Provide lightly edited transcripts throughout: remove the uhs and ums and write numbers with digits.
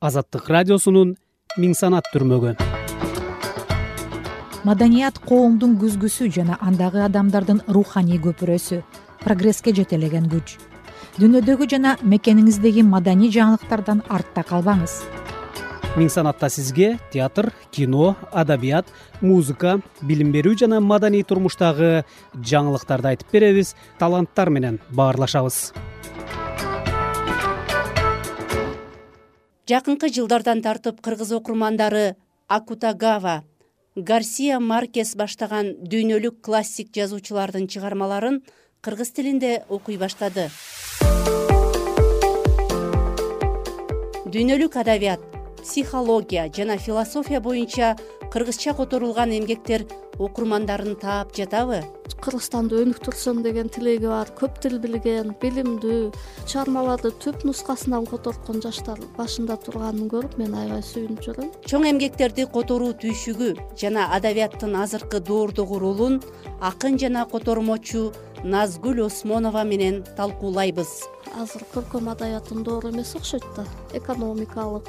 Азаттык радиосунун Миң санат түрмөгү. Маданият коомдун күзгүсү жана андагы адамдардын руханий көпүрөсү, прогресске жетелеген күч. Дүйнөдөгү жана мекениңиздеги маданий жаңылыктардан артта калбаңыз. Миң санатта сизге театр, кино, адабият, музыка, билим берүү жана маданий турмуштагы жаңылыктарды айтып беребиз, таланттар менен баарлашабыз. Жакынкы жылдардан тартып кыргыз окурмандары Акутагава, Гарсия Маркес баштаган дүйнөлүк классик жазуучулардын чыгармаларын кыргыз тилинде окуй баштады. Дүйнөлүк адабият, психология жана философия боюнча кыргызча которулган эмгектер окурмандарын таап жатабы? Кыргызстанды өнүктүрсөм деген тилеги бар, көп тил билген, билимдүү, чыгармаларды түп нускасынан которткон жаштар башында турганын көрүп мен аябай сүйүнүп жүрөм. Чоң эмгектерди которуу түйшүгү жана адабияттын азыркы доордогу ролун акын жана котормочу Назгүл Осмонова менен талкуулайбыз. Азыр көркөм адабияттын доору эмес окшойт да. Экономикалык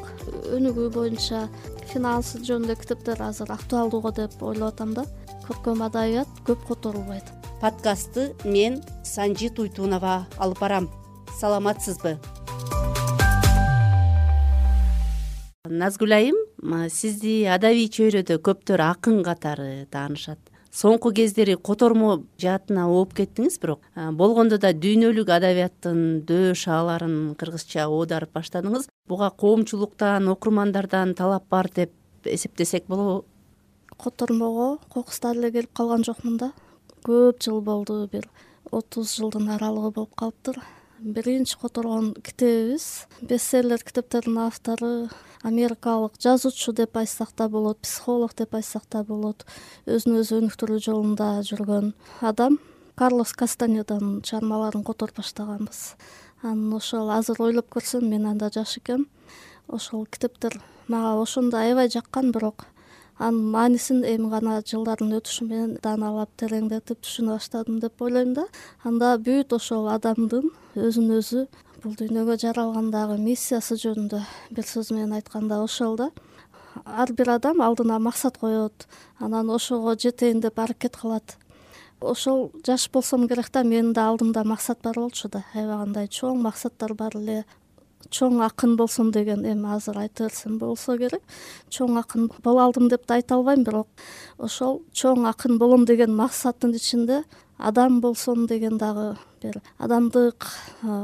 өнүгүү боюнча финансы жөнүндө китептер азыр актуалдууга деп ойлоп атам да. Көркөм адабият көп которулбайт. Подкастты мен Санжи Туйтунова алып барам. Саламатсызбы? Назгүл айым, сизди адабий чөйрөдө көптөр акын катары таанышат. Соңку кездери котормо жаатына ооп кеттиңиз, бирок болгондо да дүйнөлүк адабияттын дөө шааларын кыргызча оодарып баштадыңыз. Буга коомчулуктан, окурмандардан талап бар деп эсептесек болобу? Котормого кокустар эле келип калган жокмун да. Көп жыл болду, бир 30 жылдын аралыгы болуп калыптыр. Биринчи которгон китебибиз бестселлер китептердин автору, америкалык жазуучу деп айтсак да болот, психолог деп айтсак да болот, өзүн өзү өнүктүрүү жолунда жүргөн адам Карлос Кастанеданын чыгармаларын которуп баштаганбыз. Анан ошол азыр ойлоп көрсөм, мен анда жаш экем. Ошол китептер мага ошондо аябай жаккан, бирок анын маанисин эми гана жылдардын өтүшү менен дааналап, тереңдетип түшүнө баштадым деп ойлойм да. Анда бүт ошол адамдын өзүн өзү бул дүйнөгө жаралгандагы миссиясы жөнүндө бир сөз менен айтканда ошол да. Ар бир адам алдына максат коет, анан ошого жетейин деп аракет кылат. Ошол жаш болсом керек да, менин да алдымда максат бар болчу да. Аябай кандай чоң максаттар бар эле. Чоң акын болсом деген, эми азыр айта берсем болсо керек. Чоң акын боло алдым деп да айта албайм, бирок ошол чоң акын болом деген максаттын ичинде адам болсом деген дагы бир адамдык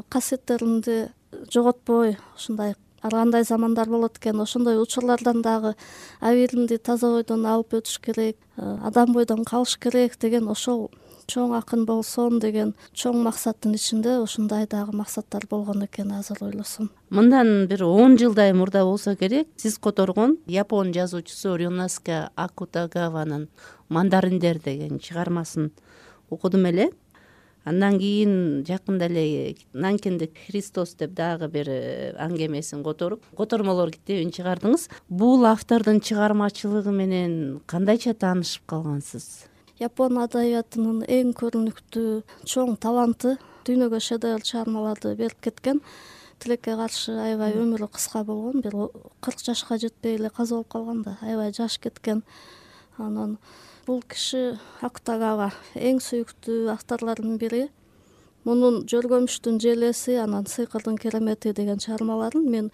касиеттеримди жоготпой, ушундай ар кандай замандар болот экен, ошондой учурлардан дагы абийиримди таза бойдон алып өтүш керек, адам бойдон калыш керек деген ошол чоң акын болсом деген чоң максаттын ичинде ушундай дагы максаттар болгон экен азыр ойлосом. Мындан бир 10 жылдай мурда болсо керек, сиз которгон япон жазуучусу Рёноске Акутагаванын Мандариндер деген чыгармасын окудум эле. Андан кийин жакында эле Нанкиндик Христос деп дагы бир аңгемесин которуп, котормолор китебин чыгардыңыз. Бул автордун чыгармачылыгы менен кандайча таанышып калгансыз? Япон адабиятынын эң көрүнүктүү чоң таланты, дүйнөгө шедевр чыгармаларды берип кеткен. Тилекке каршы аябай өмүрү кыска болгон, бир 40 жашка жетпей эле каза болуп калган да, аябай жаш кеткен. Анан бул киши Акутагава эң сүйүктүү авторлордун бири. Мунун Жөргөмүштүн желеси, анан Сыйкырдын керемети деген чыгармаларын мен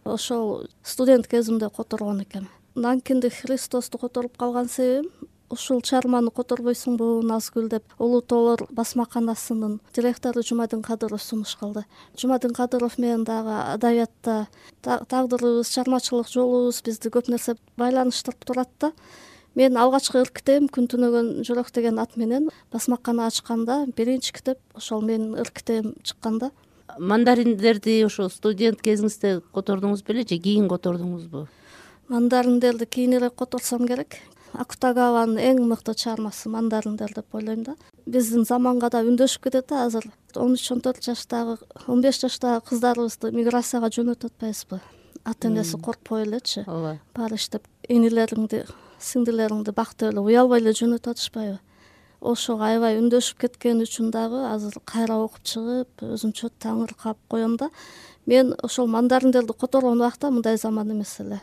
ошол студент кезимде которгон экем. Нанкиндик Христосту которуп калган себебим, ушул чыгарманы которбойсуңбу Назгүл деп Улуу тоолор басмаканасынын директору Жумадин Кадыров сунуш кылды. Жумадин Кадыров менен дагы адабиятта тагдырыбыз, чыгармачылык жолубуз бизди көп нерсе байланыштырып турат да. Мен алгачкы ырк китебим Күн түнөгөн жүрөк деген ат менен басмакана ачканда биринчи китеп ошол менин ырк китебим чыккан да. Мандариндерди ошо студент кезиңизде котордуңуз беле же кийин котордуңузбу? Мандариндерди кийинирээк которсом керек. Акутагаванын эң мыкты чыгармасы Мандариндер деп ойлойм да. Биздин заманга да үндөшүп кетет да. Азыр 13-14 жаштагы, 15 жаштагы кыздарыбызды миграцияга жөнөтүп атпайбызбы? Ата энеси коркпой элечи. Баары иштеп, инилериңди, сиңдилериңди бактып эле уялбай эле жөнөтүп атышпайбы? ошого аябай үндөшүп кеткен үчүн дагы азыр кайра окуп чыгып өзүмчө таңыркап коем да. Мен ошол мандариндерди которгон убакта мындай заман эмес эле.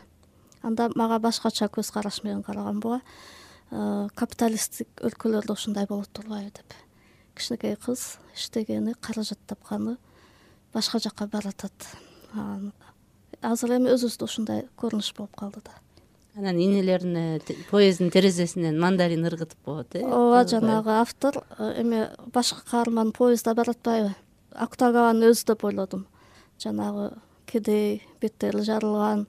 Анда мага башкача көз караш менен караган буга. Капиталисттик өлкөлөрдө ушундай болот турбайбы деп. Кичинекей кыз иштегени, каражат тапканы башка жакка баратат. Азыр эми өзүбүздө ушундай көрүнүш болуп калды да. Анан инелерине поезддин терезесинен мандарин ыргытып коет, ооба, жанагы автор эми башкы каарман поездда баратпайбы? Акутагаванын өзү деп ойлодум. Жанагы кедей, беттери жарылган,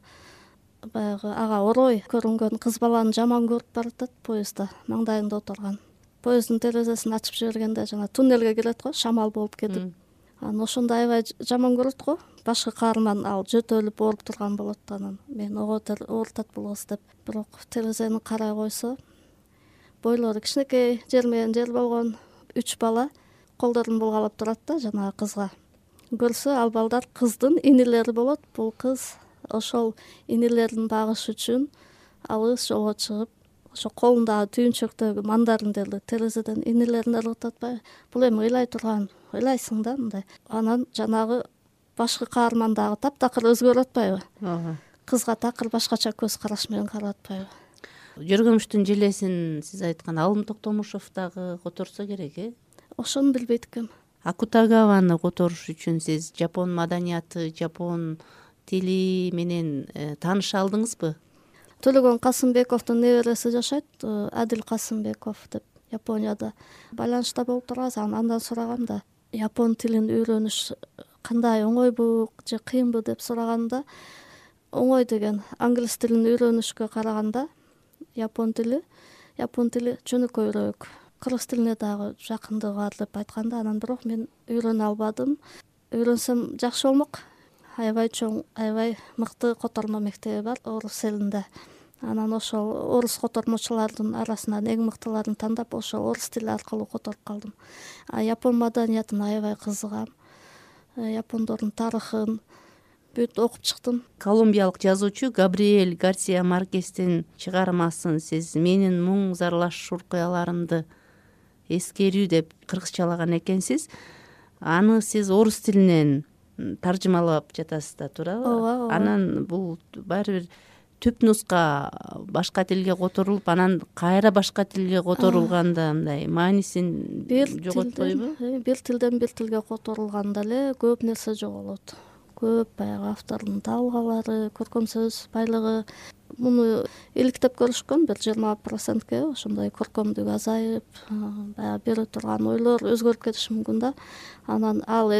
баягы ага орой көрүнгөн кыз баланы жаман көрүп баратат поездда, маңдайында отурган. Поезддин терезесин ачып жибергенде жана туннелге кирет го, шамал болуп кетип. Анан ошондо аябай жаман көрөт го. Башкы каарман ал жөтөлүп ооруп турган болот. Анан мен оорутат болобуз деп. Бирок терезени карай койсо, бойлору кичинекей, жер менен жер болгон 3 бала колдорун булгалап турат да жанагы кызга. Көрсө ал балдар кыздын инилери болот. Бул кыз ошол инилерин багыш үчүн алыс жолго чыгып, ошо колундагы түйүнчөктөгү мандариндерди терезеден инилерине ыргытып атпайбы? Бул эми ыйлай турган, ыйлайсың да мындай. Анан жанагы башкы каарман дагы таптакыр өзгөрүп атпайбы? Ооба. Кызга такыр башкача көз караш менен карап атпайбы? Жөргөмүштүн желесин сиз айткан Алым Токтомушов дагы которсо керек, Ошону билбейт экенм. Акутагаваны которуш үчүн сиз жапон маданияты, жапон тили менен тааныша алдыңызбы? Төлөгөн Касымбековдун небереси жашайт, Адил Касымбеков деп, Японияда байланышта болуп турабыз. Андан сурагам да, япон тилин үйрөнүш кандай, оңойбу же кыйынбы деп сураганда, оңой деген. Англис тилин үйрөнүшкө караганда япон тили жөнөкөйрөөк. Кыргыз тилине дагы жакындыгы бар деп айтканда, анан бирок мен үйрөнө албадым. Үйрөнсөм жакшы болмок. Аябай чоң, аябай мыкты котормо мектеби бар орус элинде. Анан ошол орус котормочулардын арасынан эң мыктыларын тандап, ошол орус тили аркылуу которуп калдым. Япон маданиятына аябай кызыгам. Япондордун тарыхын бүт окуп чыктым. Колумбиялык жазуучу Габриэль Гарсия Маркестин чыгармасын сиз менин муң зарлашуу окуяларымды эскерүү деп кыргызчалаган экенсиз. Аны сиз орус тилинен таржымалап жатасыз да, туурабы? Ооба. Анан бул баары бир түп нуска башка тилге которулуп, анан кайра башка тилге которулганда мындай маанисин жоготпойбу? Бир тилден бир тилге которулганда эле көп нерсе жоголот. Көп баягы автордун табылгалары, көркөм сөз байлыгы. Муну иликтеп көрүшкөн бир 20%ке ошондой көркөмдүк азайып, баягы бере турган ойлор өзгөрүп кетиши мүмкүн да. Анан ал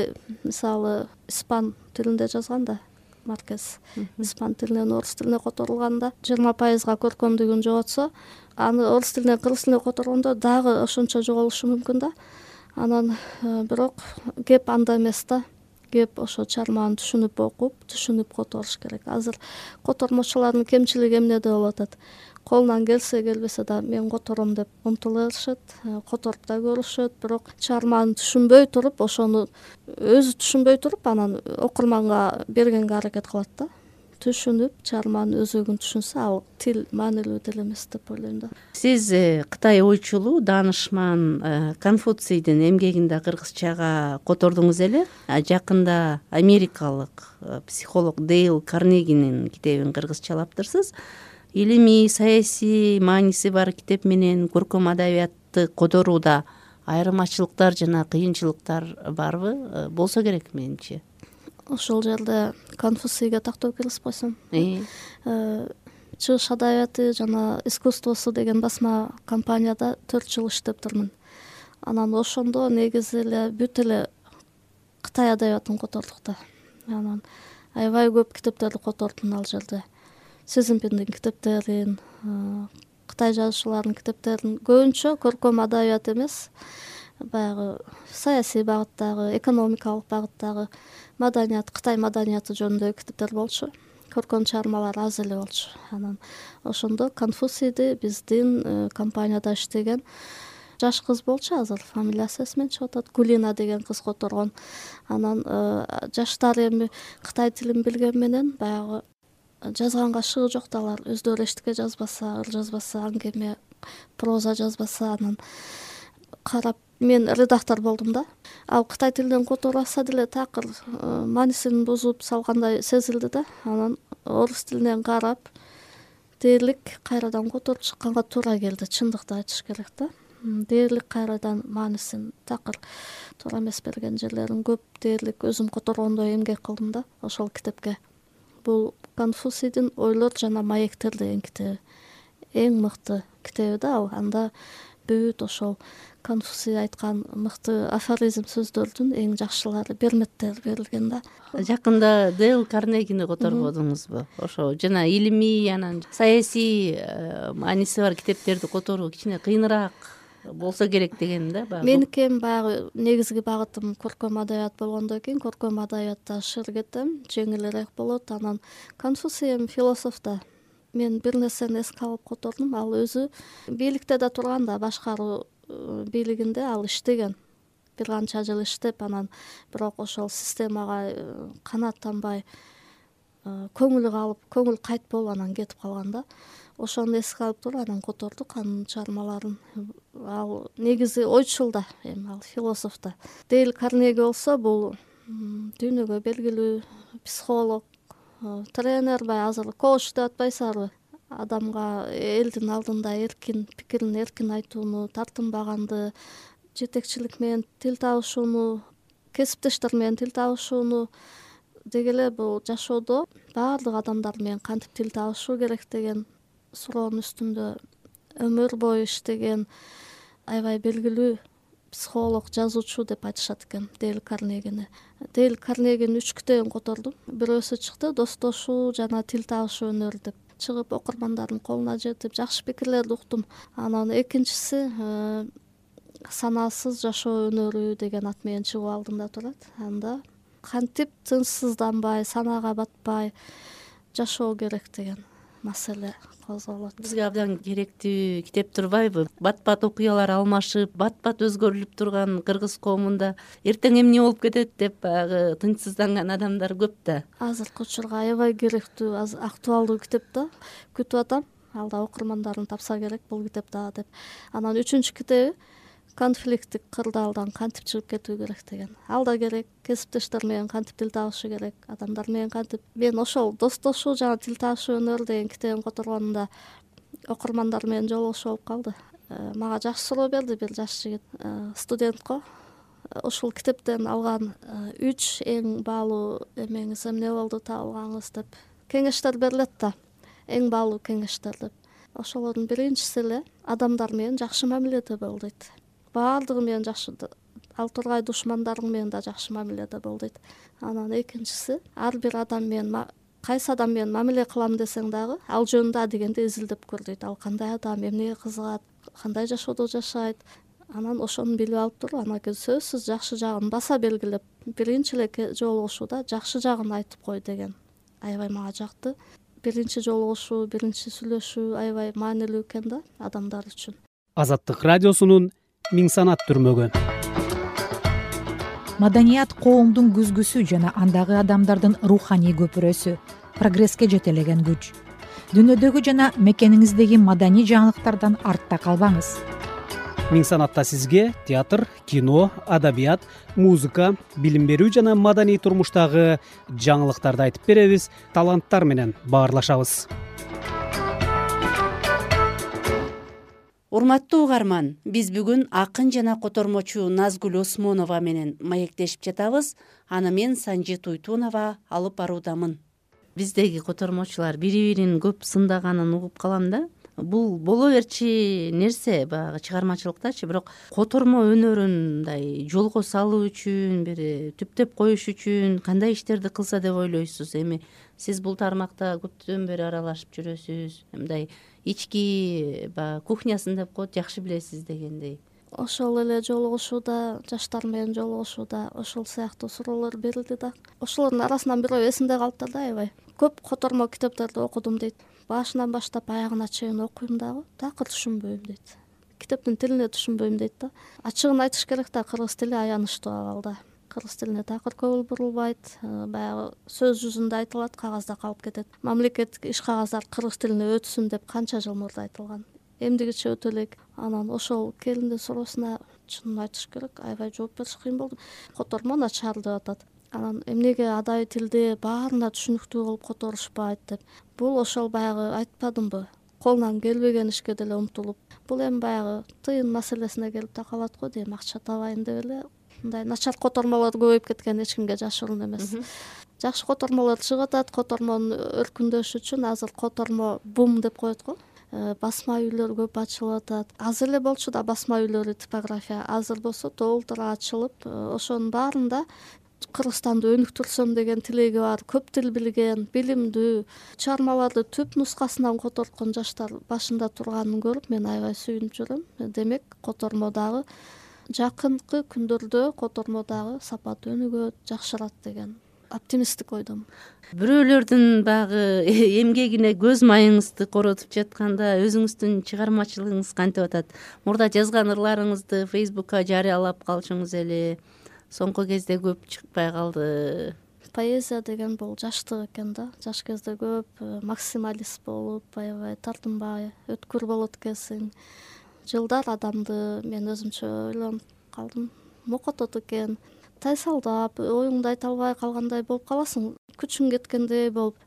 мисалы испан тилинде жазган да Маркес. Испан тилинен орус тилине которулганда 20% көркөмдүгүн жоготсо, аны орус тилинен кыргыз тилине которгондо дагы ошончо жоголушу мүмкүн да. Анан бирок кеп анда эмес да. Кеп ошо чыгарманы түшүнүп окуп, түшүнүп которуш керек. Азыр котормочулардын кемчилиги эмнеде болуп атат? Колунан келсе келбесе да мен котором деп умтулышат, которуп да көрүшөт, бирок чыгарманы түшүнбөй туруп, ошону өзү түшүнбөй туруп, анан окурманга бергенге аракет кылат да. Түшүнүп, чыгарманын өзөгүн түшүнсө, ал тил маанилүү деле эмес деп ойлойм да. Сиз Кытай ойчулу, даанышман Конфуцийдин эмгегин да кыргызчага котордуңуз эле. Жакында америкалык психолог Дейл Карнегинин китебин кыргызчалаптырсыз. Илимий, саясий мааниси бар китеп менен көркөм адабиятты которууда айырмачылыктар жана кыйынчылыктар барбы? Болсо керек менимче. Ошол жерде Конфуцийге тактоо киргизип койсом. Чыгыш адабияты жана искусствосу деген басма компанияда 4 жыл иштептирмин. Анан ошондо негизи эле бүт эле Кытай адабиятын котордук да. Анан аябай көп китептерди котордум ал жерде. Сезимпиндин китептерин, Кытай жазуучуларынын китептерин, көбүнчө көркөм адабият эмес, баягы саясий багыттагы, экономикалык багыттагы маданият, Кытай маданияты жөнүндөгү китептер болчу. Көркөм чыгармалар аз эле болчу. Анан ошондо Конфуцийди биздин компанияда иштеген жаш кыз болчу, азыр фамилиясы эсимен чыгып атат, Гулина деген кыз которгон. Анан жаштары эми Кытай тилин билген менен баягы жазганга шыгы жок да, алар өздөрү эчтеке жазбаса, ыр жазбаса, аңгеме, проза жазбаса, анан карап мен редактор болдум да. Ал кытай тилинен котораса деле такыр маанисин бузуп салгандай сезилди да. Анан орус тилинен карап дээрлик кайрадан которуп чыкканга туура келди, чындыкты айтыш керек да. Дээрлик кайрадан маанисин такыр туура эмес берген жерлерин көп дээрлик өзүм которгондой эмгек кылдым да ошол китепке. Бул Конфуцийдин Ойлор жана маектер деген китеби. Эң мыкты китеби да ал. Анда бүт ошол Конфуций айткан мыкты афоризм сөздөрдүн эң жакшылары, берметтер берилген да. Жакында Дейл Карнегини которбодуңузбу? Ошо жана илимий, анан саясий мааниси бар китептерди которуу кичине кыйыныраак болсо керек деген да баягы. Меники эми баягы негизги багытым көркөм адабият болгондон кийин көркөм адабиятта шыр кетем, жеңилирээк болот. Анан Конфуций эми философ да. Мен бир нерсени эске алып котордум. Ал өзү бийликте да турган да, башкаруу бийлигинде ал иштеген. Бир канча жыл иштеп, анан бирок ошол системага канааттанбай көңүлү калып, көңүл кайтпол анан кетип калган да. Ошону эске алып туруп анан котордук анын чыгармаларын. Ал негизи ойчул да, эми ал философ да. Дейл Карнеги болсо бул дүйнөгө белгилүү психолог, тренер, азыр коуч деп атпайсызарбы? Адамга элдин алдында эркин пикирин эркин айтууну, тартынбаганды, жетекчилик менен тил табышууну, кесиптештер менен тил табышууну деги эле бул жашоодо баардык адамдар менен кантип тил табышуу керек деген суроонун үстүндө өмүр бою иштеген аябай белгилүү психолог, жазуучу деп айтышат экен Дейл Карнегини. Дейл Карнегинин 3 китебин котордум. Бирөөсү чыкты, достошуу жана тил табышуу өнөрү деп чыгып, окурмандардын колуна жетип, жакшы пикирлерди уктум. Анан экинчиси санаасыз жашоо өнөрү деген ат менен чыгып алдымда турат. Анда кантип тынчсызданбай, санаага батпай жашоо керек деген маселе козголот. Бизге абдан керектүү китеп турбайбы? Бат-бат окуялар алмашып, бат-бат өзгөрүлүп турган кыргыз коомунда эртең эмне болуп кетет деп баягы тынчсызданган адамдар көп да. Азыркы учурга аябай керектүү, актуалдуу китеп да. Күтүп атам. Алда окурмандарын тапса керек бул китеп да деп. Анан 3-чү китеби конфликттик кырдаалдан кантип чыгып кетүү керек деген. Ал да керек, кесиптештер менен кантип тил табышы керек, адамдар менен кантип. Мен ошол достошуу жана тил табышуу өнөрү деген китебин которгонумда окурмандар менен жолугушуу болуп калды. Мага жакшы суроо берди бир жаш жигит, студентко. Ушул китептен алган 3 эң баалуу эмеңиз эмне болду, табылгаңыз деп кеңештер берилет да. Эң баалуу кеңештер деп. Ошолордун биринчиси эле адамдар менен жакшы мамиледе бол дейт. Баардыгы менен жакшы, ал тургай душмандарың менен да жакшы мамиледе бол дейт. Анан экинчиси, ар бир адам менен кайсы адам менен мамиле кылам десең дагы, ал жөнүндө дегенде изилдеп көр дейт. Ал кандай адам, эмнеге кызыгат, кандай жашоодо жашайт. Анан ошону билип алып туруп, анан кийин сөзсүз жакшы жагын баса белгилеп, биринчи эле жолугушууда жакшы жагын айтып кой деген аябай мага жакты. Биринчи жолугушуу, биринчи сүйлөшүү аябай маанилүү экен да адамдар үчүн. Азаттык радиосунун Миң санат түрмөгү. Маданият коомдун күзгүсү жана андагы адамдардын руханий көпүрөсү, прогресске жетелеген күч. Дүйнөдөгү жана мекениңиздеги маданий жаңылыктардан артта калбаңыз. Миң санатта сизге театр, кино, адабият, музыка, билим берүү жана маданий турмуштагы жаңылыктарды айтып беребиз, таланттар менен баарлашабыз. Урматтуу угарман, биз бүгүн акын жана котормочу Назгүл Осмонова менен маектешип жатабыз. Аны мен Санжи Туйтунова алып баруудамын. Биздеги котормочулар бири-бирин көп сындаганын угуп калам да. Бул боло берчи нерсе баягы чыгармачылыктачы, бирок котормо өнөрүн мындай жолго салуу үчүн, бир түптөп коюш үчүн кандай иштерди кылса деп ойлойсуз? Эми сиз бул тармакта көптөн бери аралашып жүрөсүз. Мындай ички баягы кухнясын деп коет, жакшы билесиз дегендей. Ошол эле жолугушууда, жаштар менен жолугушууда ошол сыяктуу суроолор берилди да. Ошолордун арасынан бирөө эсимде калыптыр да аябай. Көп котормо китептерди окудум дейт. Башынан баштап аягына чейин окуйм дагы, такыр түшүнбөйм дейт. Китептин тилине түшүнбөйм дейт да. Ачыгын айтыш керек да, кыргыз тили аянычтуу абалда. Кыргыз тилине такыр көңүл бурулбайт, баягы сөз жүзүндө айтылат, кагазда калып кетет. Мамлекеттик иш кагаздар кыргыз тилине өтсүн деп канча жыл мурда айтылган. Эмдигиче өтө элек. Анан ошол келиндин суроосуна чынын айтыш керек аябай жооп бериш кыйын болду. Котормо начар деп атат. Анан эмнеге адай тилде баарына түшүнүктүү кылып которушпайт деп. Бул ошол баягы айтпадымбы, колунан келбеген ишке деле умтулуп, бул эми баягы тыйын маселесине келип такалат го дейм. Акча табайын деп эле мындай начар котормолор көбөйүп кеткен эч кимге жашыруун эмес. Жакшы котормолор чыгып атат. Котормонун өркүндөшү үчүн азыр котормо бум деп коет го. Басма үйлөр көп ачылып атат. Азыр эле болчу да басма үйлөрү, типография. Азыр болсо толтура ачылып, ошонун баарында Кыргызстанды өнүктүрсөм деген тилеги бар, көп тил билген, билимдүү, чыгармаларды түп нускасынан которткон жаштар башында турганын көрүп мен аябай сүйүнүп жүрөм. Демек, котормо дагы жакынкы күндөрдө котормо дагы сапаты өнүгөт, жакшырат деген оптимисттик ойдомун. Бирөөлөрдүн баягы эмгегине көз майыңызды коротуп жатканда өзүңүздүн чыгармачылыгыңыз кантип атат? Мурда жазган ырларыңызды Facebookка жарыялап калчуңуз эле. Соңку кезде көп чыкпай калды. Поэзия деген бул жаштык экен да. Жаш кезде көп максималист болуп, аябай тартынбай, өткүр болот экенсиң. Жылдар адамды мен өзүмчө ойлонуп калдым. Мокотот экен. Тайсалдап, оюңду айта албай калгандай болуп каласың. Күчүң кеткендей болуп.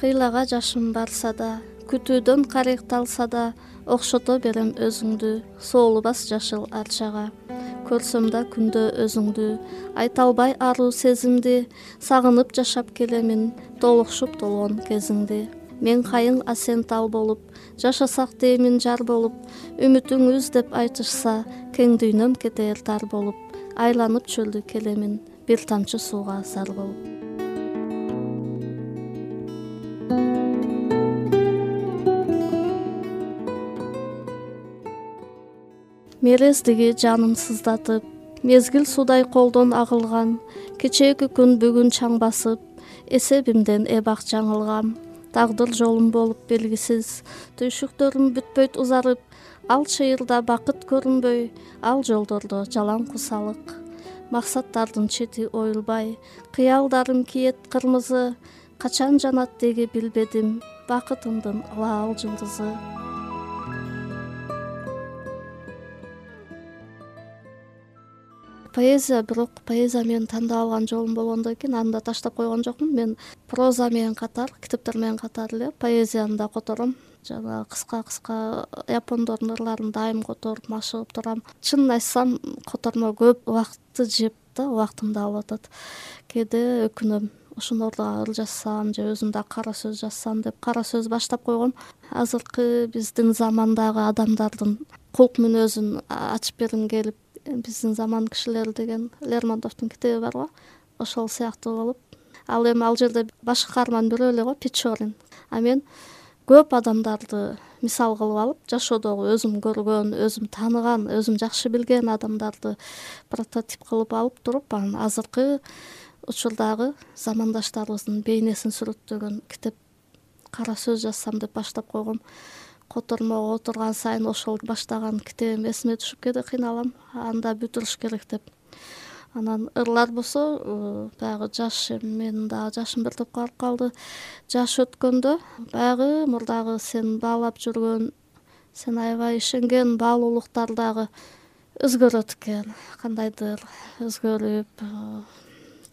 Кыйлага жашым барса да, күтүүдөн карыкталса да, окшото берем өзүңдү, соолубас жашыл арчага. Көрсөм да күндө өзүңдү, айта албай аруу сезимди, сагынып жашап келемин, толукшуп толгон кезиңди. Мен кайың асен тал болуп, жашасак деймин жар болуп, үмүтүңүз деп айтышса, кең дүйнөм кетер тар болуп, айланып чөлдү келемин, бир тамчы сууга зар болуп. Мерездиги жаным сыздатып, мезгил судай колдон агылган, кечээки күн бүгүн чаң басып, эсебимден эбак жаңылгам. Тагдыр жолум болуп белгисиз, түйшүктөрүм бүтпөйт узарып, ал чыйырда бакыт көрүнбөй, ал жолдордо жалаң кусалык. Максаттардын чети оюлбай, кыялдарым киет кырмызы, качан жанат деги билбедим, бакытымдын алаал жылдызы. Поэзия, бирок поэзия менен тандап алган жолум болгондон кийин аны да таштап койгон жокмун. Мен проза менен катар, китептер менен катар эле поэзияны да котором. Жана кыска япондордун ырларын дайым которуп, машыгып турам. Чынын айтсам, котормо көп убакытты жеп да, убактымды алып атат. Кээде өкүнөм, ошолордо ыр жазсам же өзүм да кара сөз жазсам деп кара сөз баштап койгом. Азыркы биздин замандагы адамдардын кулк мүнөзүн ачып бергим келип, биздин заман кишилери деген Лермонтовдун китеби бар го, ошол сыяктуу болуп. Ал эми ал жерде баш каарман бирөө эле го, Печорин. А мен көп адамдарды мисал кылып алып, жашоодогу өзүм көргөн, өзүм тааныган, өзүм жакшы билген адамдарды прототип кылып алып туруп, анан азыркы учурдагы замандаштарыбыздын бейнесин сүрөттөгөн китеп, кара сөз жазсам деп баштап койгом. Котормого отурган сайын ошол баштаган китебим эсиме түшүп кээде кыйналам, анда бүтүрүш керек деп. Анан ырлар болсо баягы жаш, менин дагы жашым бир топко барып калды. Жаш өткөндө баягы мурдагы сен баалап жүргөн, сен аябай ишенген баалуулуктар дагы өзгөрөт экен. Кандайдыр өзгөрүп,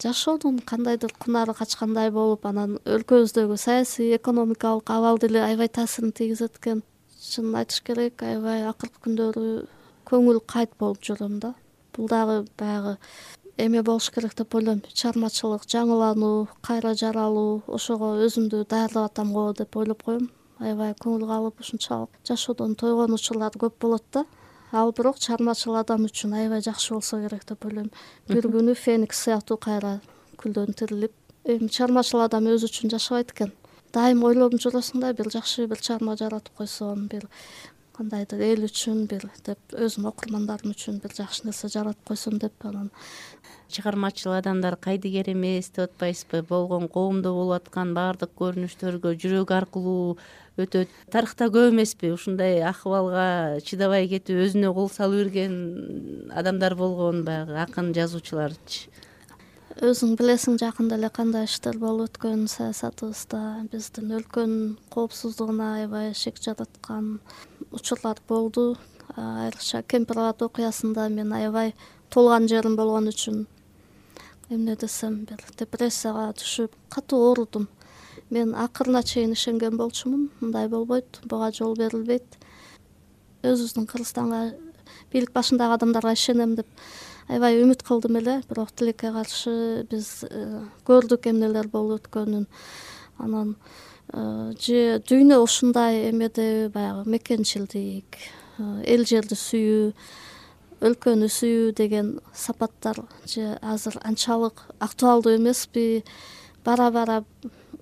жашоонун кандайдыр кунары качкандай болуп, анан өлкөбүздөгү саясий, экономикалык абал деле аябай таасирин тийгизет экен. Чынын айтыш керек, аябай акыркы күндөрү көңүл кайт болуп жүрөм да. Бул дагы баягы эме болуш керек деп ойлойм. Чыгармачылык, жаңылануу, кайра жаралуу, ошого өзүмдү даярдап атам го деп ойлоп коем. Аябай көңүл калып, ушунчалык жашоодон тойгон учурлар көп болот да. Ал бирок чыгармачыл адам үчүн аябай жакшы болсо керек деп ойлойм. Бир күнү Феникс сыяктуу кайра күлдөн тирилип, эми чыгармачыл адам өзү үчүн жашабайт экен. Дайым ойлонуп жүрөсүң да, бир жакшы бир чыгарма жаратып койсом, бир кандайдыр эл үчүн бир деп, өзүм окурмандарым үчүн бир жакшы нерсе жаратып койсом деп. Анан чыгармачыл адамдар кайдыгер эмес деп атпайсызбы? Болгон коомдо болуп аткан баардык көрүнүштөргө жүрөк аркылуу өтөт. Тарыхта көп эмеспи ушундай акыбалга чыдабай кетип, өзүнө кол салып ирген адамдар болгон, баягы акын, жазуучуларчы? өзүң билесиң жакында эле кандай иштер болуп өткөн саясатыбызда, биздин өлкөнүн коопсуздугуна аябай шек жараткан учурлар болду. Айрыкча Кемпир-Абад окуясында мен аябай толган жерим болгон үчүн эмне десем, бир депрессияга түшүп катуу оорудум. Мен акырына чейин ишенген болчумун, мындай болбойт, буга жол берилбейт. Өзүбүздүн Кыргызстанга, бийлик башындагы адамдарга ишенем деп аябай үмүт кылдым эле, бирок тилекке каршы биз көрдүк эмнелер болуп өткөнүн. Анан же дүйнө ушундай эмеде, баягы мекенчилдик, эл жерди сүйүү, өлкөнү сүйүү деген сапаттар же азыр анчалык актуалдуу эмеспи, бара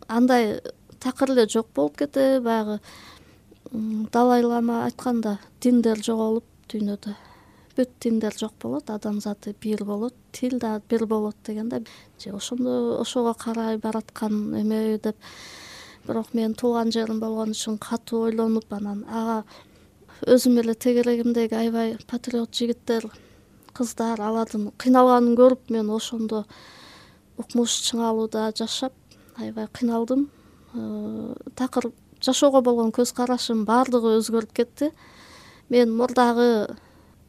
андай такыр эле жок болуп кетеби. Баягы Далай-лама айтканда, диндер жоголуп дүйнөдө, бүт диндер жок болот, адамзаты бир болот, тил да бир болот дегенде, же ошого карай бараткан эме деп. Бирок мен туулган жерим болгон үчүн катуу ойлонуп, анан ага өзүм эле тегерегимдеги аябай патриот жигиттер, кыздар, алардын кыйналганын көрүп, мен ошондо укмуш чыңалууда жашап аябай кыйналдым. Такыр жашоого болгон көз карашым баардыгы өзгөрүп кетти. Мен мурдагы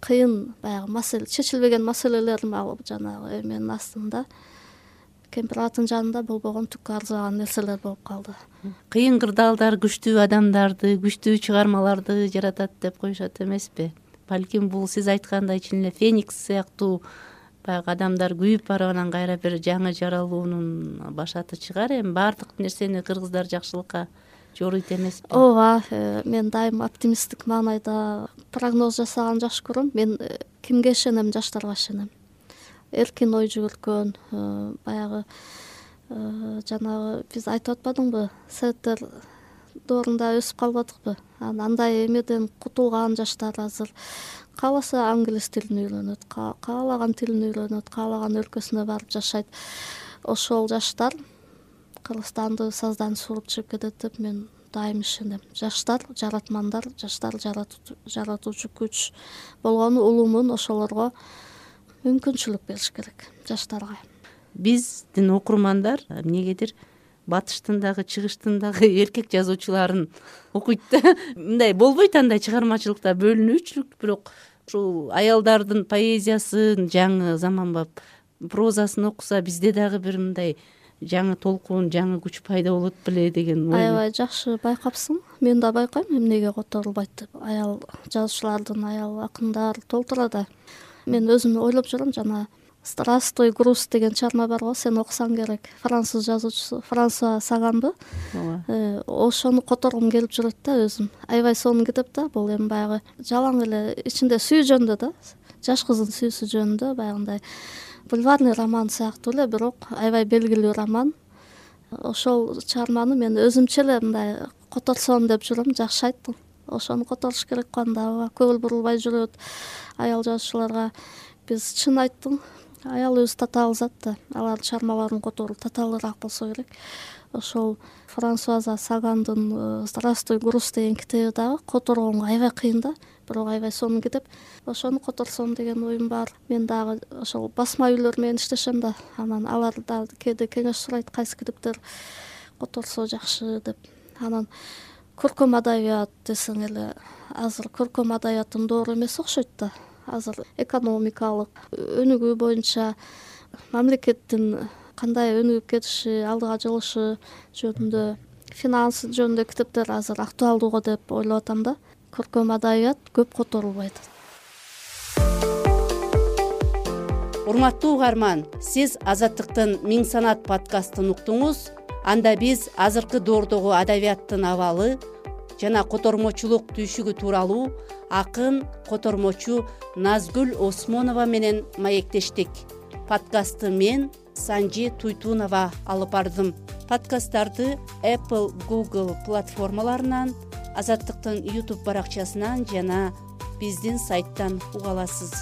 кыйын, баягы чечилбеген маселелерим алып жанагы эменин астында, Кемпир-Абадтын жанында болбогон түккө арзыбаган нерселер болуп калды. Кыйын кырдаалдар күчтүү адамдарды, күчтүү чыгармаларды жаратат деп коюшат эмеспи? Балким бул сиз айткандай чын эле Феникс сыяктуу баягы адамдар күйүп барып анан кайра бир жаңы жаралуунун башаты чыгар. Эми баардык нерсени кыргыздар жакшылыкка жоруйт эмеспи? Ооба, мен дайым оптимисттик маанайда прогноз жасаган жакшы көрөм. Мен кимге ишенем? Жаштарга ишенем. Эркин ой жүгүрткөн, баягы жанагы биз айтып атпадыңбы, советтер доорунда өсүп калбадыкпы? Андай эмеден кутулган жаштар азыр кааласа англис тилин үйрөнөт, каалаган тилин үйрөнөт, каалаган өлкөсүнө барып жашайт. Ошол жаштар Кыргызстанды саздан суруп чыгып кетет деп мен дайым ишенем. Жаштар жаратмандар, жаштар жаратуучу күч болгону улуумун, ошолорго мүмкүнчүлүк бериш керек, жаштарга. Биздин окурмандар эмнегедир батыштын дагы чыгыштын дагы эркек жазуучуларын окуйт да. Мындай болбойт, андай чыгармачылыкта бөлүнүүчүлүк, бирок ушул аялдардын поэзиясын, жаңы заманбап прозасын окуса, бизде дагы бир мындай жаңы толкун, жаңы күч пайда болот беле деген ой. Аябай жакшы байкапсың. Мен да байкайм эмнеге которулбайт деп. Аял жазуучулардын, аял акындар толтура да. Мен өзүм ойлоп жүрөм, жана Здравствуй, груз деген чыгарма бар го, сен окусаң керек. Француз жазуучусу Франсуа Саганбы. Ошону которгум келип жүрөт да өзүм. Аябай сонун китеп да, бул эми баягы жалаң эле ичинде сүйүү жөнүндө да, жаш кыздын сүйүүсү жөнүндө, баягындай бульварный роман сыяктуу эле, бирок аябай белгилүү роман. Ошол чыгарманы мен өзүмчө эле мындай которсом деп жүрөм, жакшы айттың. Ошону которуш керек кандай, көңүл бурулбай жүрөт аял жазуучуларга. Биз чын айттың, аял өзү татаал зат да, алардын чыгармаларын которуу татаалыраак болсо керек. Ошол Франсуаза Сагандын Здравствуй, груз деген китеби дагы которгонго аябай кыйын да, бирок аябай сонун китеп. Ошону которсом деген оюм бар. Мен дагы ошол басма үйлөр менен иштешем да, анан алар да кээде кеңеш сурайт, кайсы китептер которсо жакшы деп. Анан көркөм адабият десең эле, азыр көркөм адабияттын доору эмес окшойт да. Азыр экономикалык өнүгүү боюнча мамлекеттин кандай өнүгүп кетиши, алдыга жылышы жөнүндө, финанс жөнүндө китептер азыр актуалдуу деп ойлоп атам да. Көркөм адабият көп которулбайт. Урматтуу угарман, сиз Азаттыктын Миң санат подкастын уктуңуз. Анда биз азыркы доордогу адабияттын абалы жана котормочулук түйшүгү тууралуу акын, котормочу Назгүл Осмонова менен маектештик. Подкастты мен, Санжи Туйтунова алып бардым. Подкасттарды Apple, Google платформаларынан, Азаттыктын YouTube баракчасынан жана биздин сайттан уга аласыз.